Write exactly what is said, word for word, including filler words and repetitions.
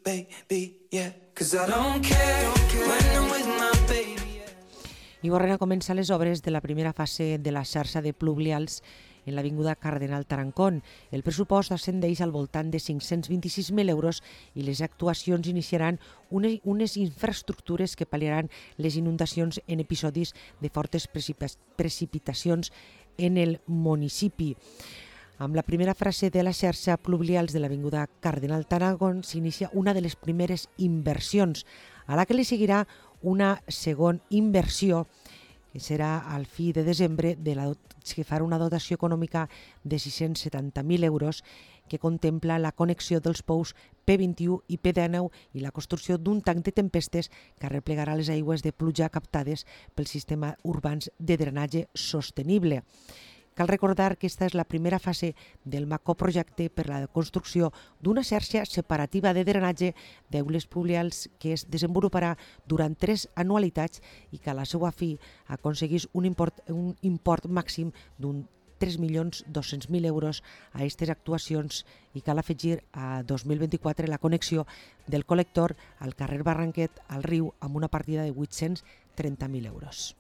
baby, yeah. 'Cause I don't care when I'm with my baby. I tornen a començar les obres de la primera fase de la xarxa de pluvials en l'avinguda Cardenal Tarancón. El pressupost ascendeix al voltant de cinc-cents vint-i-sis mil euros i les actuacions iniciaran unes, unes infraestructures que pal·liaran les inundacions en episodis de fortes precipitacions en el municipi. Amb la primera fase de la xarxa pluvials de l'avinguda Cardenal Tarancón s'inicia una de les primeres inversions, a la que li seguirà una segona inversió que serà al fi de desembre, de la, que farà una dotació econòmica de sis-cents setanta mil euros que contempla la connexió dels pous P vint-i-u i P dinou i la construcció d'un tanc de tempestes que arreplegarà les aigües de pluja captades pel sistema urbans de drenatge sostenible. Cal recordar que aquesta és la primera fase del macroprojecte per la construcció d'una xarxa separativa de drenatge d'aules pluvials que es desenvoluparà durant tres anualitats i que a la seva fi aconseguís un import, un import màxim d'un tres milions dos-cents mil euros a aquestes actuacions i cal afegir a dos mil vint-i-quatre la connexió del col·lector al carrer Barranquet al riu amb una partida de vuit-cents trenta mil euros.